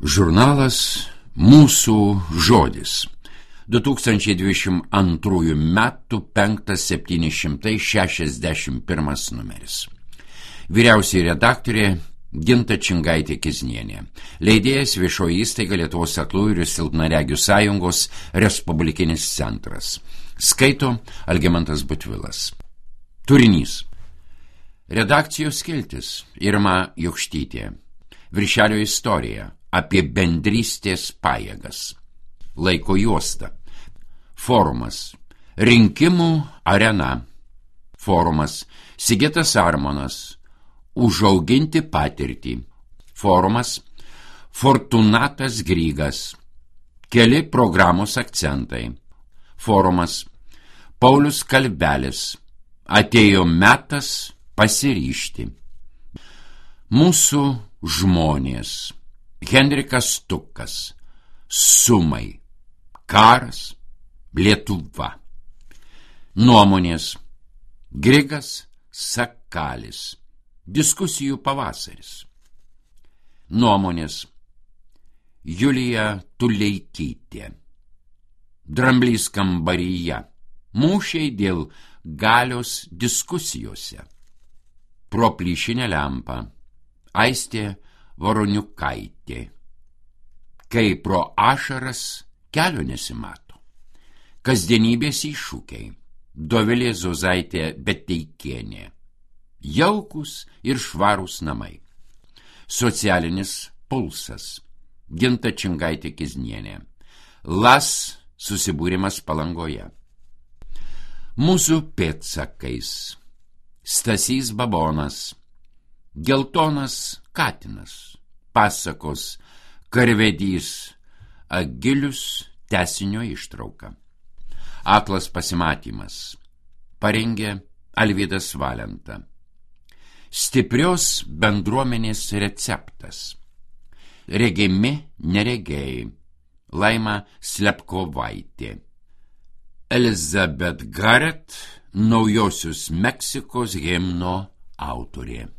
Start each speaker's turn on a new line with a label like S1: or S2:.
S1: Žurnalas Mūsų žodis. 2022 metų 5761 numeris. Vyriausioji redaktorė Ginta Čingaitė-Kiznienė. Leidėjas Viešoji įstaiga Lietuvos aklųjų ir silpnaregių sąjungos Respublikinis centras. Skaito Algimantas Butvilas. Turinys. Redakcijos skiltis Irma Jokštytė. Viršelio istorija apie bendrystės pajėgas. Laiko juosta. Forumas. Rinkimų arena. Forumas. Sigitas Armonas. Užauginti patirtį. Forumas. Fortunatas Grygas. Keli programos akcentai. Forumas. Paulius Kalbelis. Atėjo metas pasiryžti. Mūsų žmonės. Henrikas Tukas. Sumai. Karas. Lietuva. Nuomonės. Grigas Sakalis. Diskusijų pavasaris. Nuomonės. Julija Tuleikytė. Dramblys kambaryje. Mūšiai dėl galios diskusijose. Pro plyšinę lempą. Aistė Voroniukaitė. Kai pro ašaras kelio nesimato. Kasdienybės iššūkiai. Dovilė Zozaitė Beteikienė. Jaukus ir švarūs namai. Socialinis pulsas. Ginta Čingaitė-Kiznienė. LAS susibūrimas Palangoje. Mūsų pėdsakais. Stasys Babonas. Geltonas katinas. Pasakos Karvedys Agilius tęsinio ištrauka. Aklas pasimatymas. Parengė Alvydas Valenta. Stiprios bendruomenės receptas. Regimi neregėjai. Laima Slepkovaitė. Elizabeth Garrett, Naujosios Meksikos himno autorė.